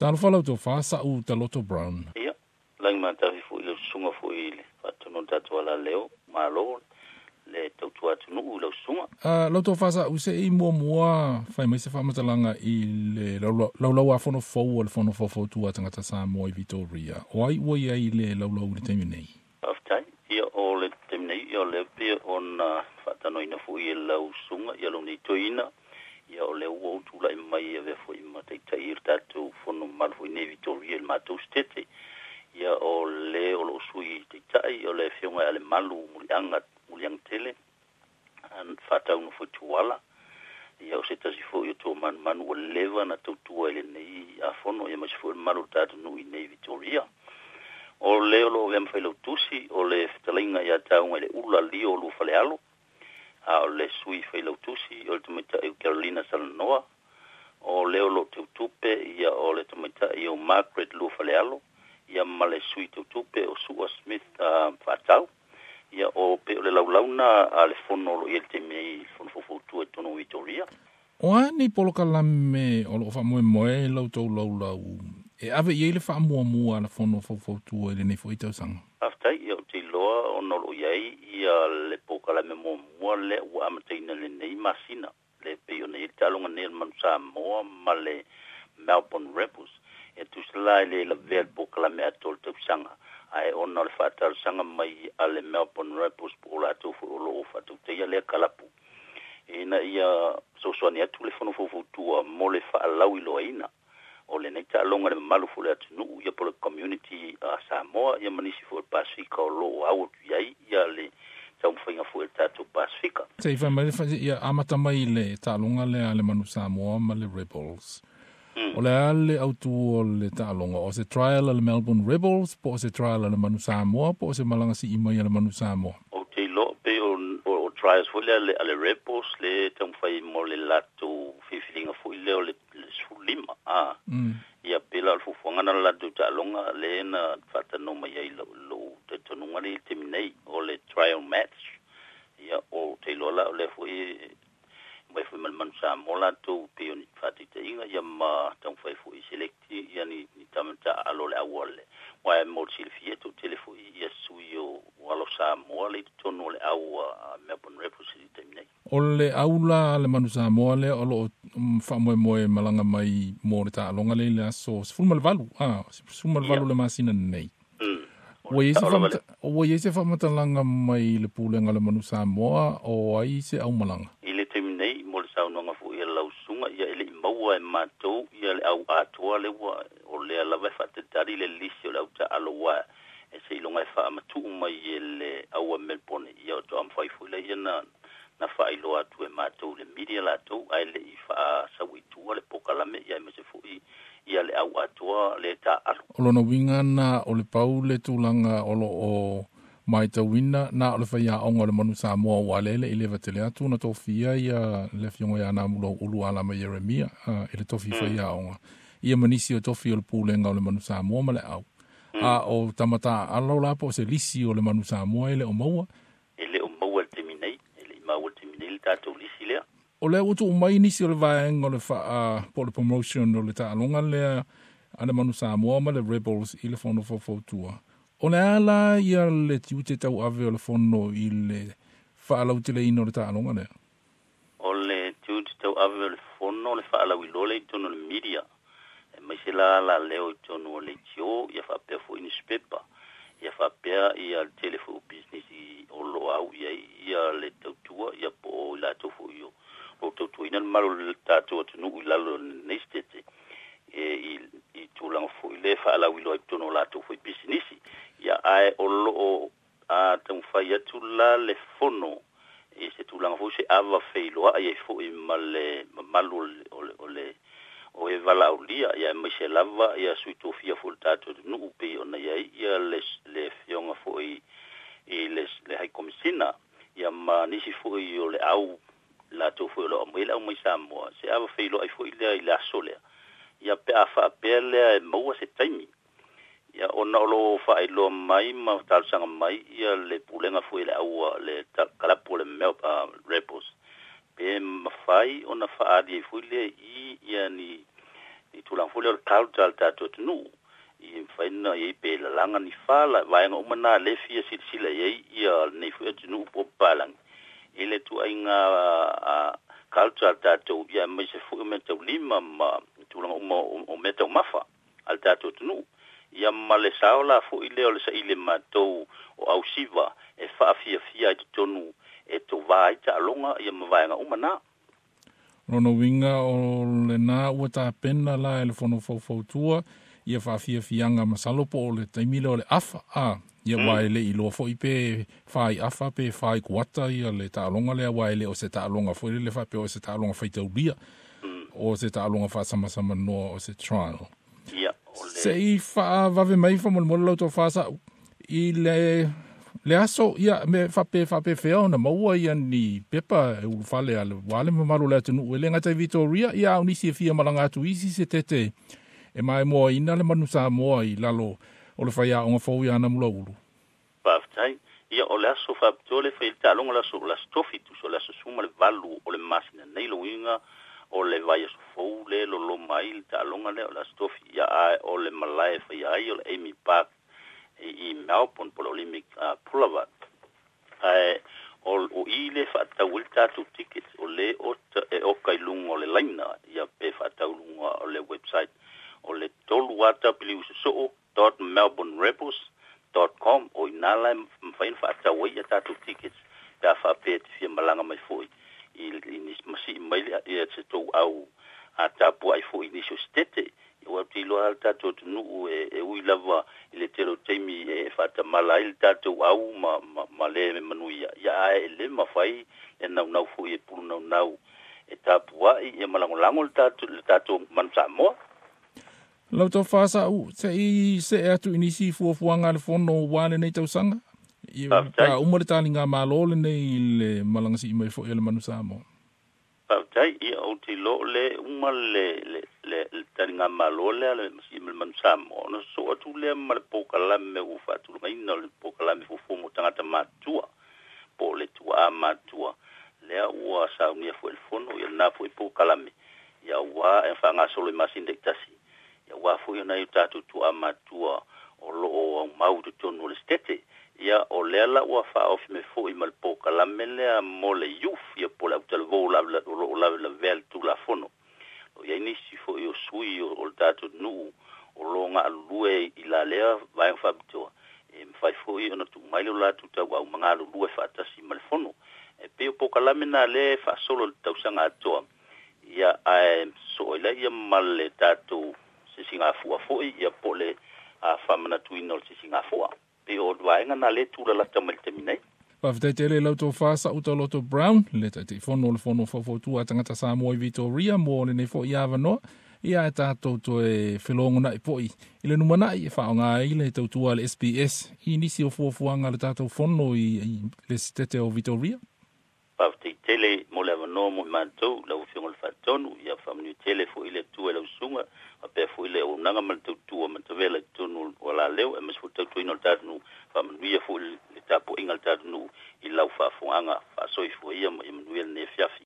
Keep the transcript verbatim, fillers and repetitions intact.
Talofa lau tofa Sa'u Taloto Brown. Ia, lagi matafi fo'i le usuga fo'i i le faatonu o le tatou alaleo, malo le tautua atunuu i lau susuga. Uh, lau tofa Sa'u, se i muamua fai mai se faamatalaga i le laulau a fono fou o le fono faufautua a tagata Samoa i Victoria. O ai ua i ai le laulau i le taimi nei? Faafetai. Ia, o le taimi nei, ia o lea pei ona faatanoina fo'i e lau susuga, ia lou nei toeaina, ia o lea ua ou tula'i mai e avea fo'i ma taita'i i le tatou fono mamalu fo'i nei Victoria i le matou setete. Ia o le o loo sui taita'i o le afioga ia Lemalu Muliaga Muliaga Tele faatauna foi Tuala. Ia o se tasi fo'i o tua manumanu ua leva na tautua i lenei afono, ia maise foi le mamalu o le tatou nuu i nei Victoria. O le o loo avea ma failautusi o le fetalaiga ia Tauga i le Ula Lio Lua Falealo, a o le sui failautusi o le tamaitai o Carolina Salanoa. O le o loo teutupe, ia o le tamaitai o Margaret Lua Falealo, ia ma le sui teutupe o Sua Smith uh, Faatau. Ia o pe o le laulauna a le fono o lo i le taimi nei, fono faufautua i totonu o Victoria. O a ni polokalame o loo faamoemoe lau tou laulau e ave i ai le faamuamua a le fono faufautua i lenei fo'i tausaga? Faafetai. Ia ou te iloa ona o loo i ai ia le polokalame muamua lea ua amataina lenei masina, le pei ona i ai le taaloga nei a le Manu Samoa ma le Melbourne Rebels. E tusa la e le lavea le polokalame atoa o le tausaga, ae ona o le faatalosaga mai a le Melbourne Rebels po o latou foi o loo faatautaia lea kalapu ina ia fesoasoani atu le fono faufautua mo le faalauiloaina o lenei taaloga le mamalu foi o le atunuu, ia po le community a Samoa, ia ma nisi foi o le Pasifika o loo au atu i ai ia le taumafaiga foi o le tatou Pasifika. Se i fai mai ia amata mai le taaloga lea a le Manu Samoa ma le Rebels. Mm. O le a le autu o le taaloga? O se trial a le Melbourne Rebels, po o se trial a le Manu Samoa, po o se malaga sii mai a le Manu Samoa? Ou te iloa pei o, o, o trials foi lea a le Rebels le taumafai mo le latou filifiliga foi lea o le, le sefululima a Mm. ia pe la o le fuafuaga na le latou taaloga le na faatanoa mai ai lou lou talitonuga le i le taimi nei o le trial match. Ia o te iloa la o lea foi mai foi ma le Manu Samoa latou pei o ni faataitaiga, ia ma taumafai foi select ia ni, ni tamata alo le auale wa mo le silafia toatele foi ia sui o, o alo Samoa le i totonu o le au a Melbourne Rebels i le taimi nei. O le aula a le Manu Samoa lea o loo mm, faamoemoe malaga mai mo le taaloga le i le aso sefulu ma le valu, a sefulu ma le valu Ia. le masina nei. Mm. Ua i ai se Sao lava faamata- ua i ai se faamatalaga mai le pulega o le Manu Samoa o ai se aumalaga? I le taimi nei, mo le saunoaga foi a lau susuga, ia e lei maua e matou ia le au atoa le ua o lea lava e faatatali le lisi o le au taalo ua e seiloga e faamatuu mai e le au a Melbourne, ia o toa mafai foi lea na na faailoa atu e matou le media latou, ae lei faasau i tua le pokalame, ia e mase foi ia le au atoa le taaalo. O lona uiga na o le pau le tulaga o loo matauina na o le faiaoga o le Manu Samoa ua lele i leva tele atu na tofia ia le afioga ia Namulo Ulu Alama Ieremia uh, i le tofi faiaoga, ia ma nisi o tofi o le pulega o le Manu Samoa ma le au. A o tamata alo la po o se lisi o le Manu Samoa e le o maua? E le o maua le taimi nei, e lei maua le taimi nei le tatou lisi lea. O lea ua tuu mai nisi o le vaega o le faa po o le promotion o le taaloga lea a le Manu Samoa ma le Rebels i le fono faufautua. O le a la ia le tiute tauave o le fono i le faalauteleina o le taaloga lea? O le tiute tauave o le fono le faalauiloa le i totonu o le media e maise la la leo i totonu o le leitio, ia faapea foi newspaper, ia faapea ia le tele foi o business o loo au i ai ia le tautua, ia po o i latou foi o o tautuaina le mamalu o le tatou atunuu i lalo o lenei setete e i, i tulaga foi le faalauiloa i totonu o latou foi pisinisi. Ia ae o loo a taumafai atu la le fono i se tulaga foi se ava feiloai ai foi ma le mamalu o le, o le, o le o e valaaulia, ia maise lava ia sui tofia foi le tatou atunuu pei ona i ai ia le, le afioga foi i le, le High Commissioner, ia ma nisi foi o le au latou foi o lo o aumai le au mai Samoa, se ava feiloai foi lea i le aso lea, ia pe a faapea lea e maua se taimi. Ia ona o loo faailoa mai ma talosaga mai ia le pulega foi le aua le kalapu o le Mel uh, Rebels pe mafai ona faaali ai foi lea i ia ni I tulaga foi lea o le culture a le tatou atunuu i mafai ona i ai pe lalaga ni fala vaega uma na lea e fia silasila i ai ia lenei foi atunuu po o papalagi i le ituaiga culture a le tatou ia aemaise foi o meataulima ma tulaga uma o meataumafa a le tatou atunuu ia ma le sao la foi lea o le saili e matou o ausiva e faafiafia ai totonu e tovā ai taaloga ia ma vaega uma na. Lona uiga o lena ua tapena la e le fono faufautua ia faafiafiaga masalo po o le taimi lea o le afa a ia mm. ua e le iloa foi pe fai afa pe fai kuata ia le taaloga lea ua e le o se taaloga foi lele faapea o se taaloga faitaulia mm. o se taaloga faasamasamanoa o se trial. Ia, o le Se i faavave mai faamolemole lau tofa sa'u i le le aso ia me faapea faapefea ona maua ia ni pepa e ulufale a le ua le mamalu o le atunuu e le gata i Victoria ia a o nisi e fia malaga atu isi se tete e maimoaina le manu Samoa i lalo o le faiaoga fou ia Namulauulu. Faafetai. Ia o le aso faapitoa le fai le taaloga le aso o le aso tofi tusa o le aso sefulu ma le valu o le masina nei lona uiga o le vaiaso fou le loloma ai le taaloga lea o le aso tofi ia ae o le malae e faia ai o le Amy Park i, i Melbourne po o le Olympic uh, Boulevard ae o, o i le faatau ai le tatou ticket o le o e oka i luga o le laina ia pe faatau luga o le website o le tolu a w sosoo dot melbourne rebels dot com o ina la e mafai ona faatau ai ia tatou tickets pe a faapea e te fia malaga mai foi i, i nisi masii mai le ia se tou au a tapuai foi i nisi o setete ua te iloa le tatou atunuu e, e ui lava i le tele o taimi e faatamala ai le tatou au ma, ma, ma le manuia ia ae e le mafai e naunau foi e pulu naunau e tapuai ia ma lagolago le tatou le tatou manu Samoa. Lau tofa sa'u se i see atu i nisi fuafuaga a le fono ua lenei tausaga i Faafetai. pa uma le taliga malo lenei i le malaga sii mai foi a le manu Samoa. Faafetai. Ia ou te iloa o le uma le le le, le taligamalo lea le masii ma le manu Samoa ona sosoo atu lea ma le polokalame ua faatulagaina o le polokalame fuafua mo tagata matutua po o le tuaa matua lea ua saunia foi le fono ia lena foi polokalame ia ua e faagasolo i masina taitasi ia ua foi ona i o tatou tuaa matua o loo aumau i totonu o le setete ia o lea la ua faaofi mai foi ma le polokalame lea mo le youth ia po o le autalavou o loo lavelavea le tulafono o iai nisi foi o sui o, o le tatou nuu o lo galulue i la lea vaega faapitoa e mafai foi ona tuu mai le latou tauau magalulue faatasi ma le fono e pei o polokalame na lea e faasolo i le tausaga atoa ia ae soo ai laia ma le tatou sisigafua foi ia po o le a faamanatuina o le sisigafua pei o le vaega na lea tulalata mai le taimi nei. Faafetai tele lau tofa Sa'utaloto Brown, le Taitaifono o le Fono Faufautua a Tagata Samoa i Victoria mo lenei foi avanoa. Ia e tatou toe felogonai foi i le lumanai e faaaoga ai le tautua a le S B S i nisi o fuafuaga a le tatou fono i, i le setete o Victoria. Faafetai tele mo le avanoa mo i matou lau afioga i le Faatonu ia faamanuia tele foi le Atua i lau susuga faapea foi le auaunaga ma le tautua matavela i totonu o laleo aemaise foi le tautuaina o le tatou nuu faamanuia foi le tapuaiga a le tatou nuu i lau faafogaga faasoifua ia ma ia manuia lenei afiafi.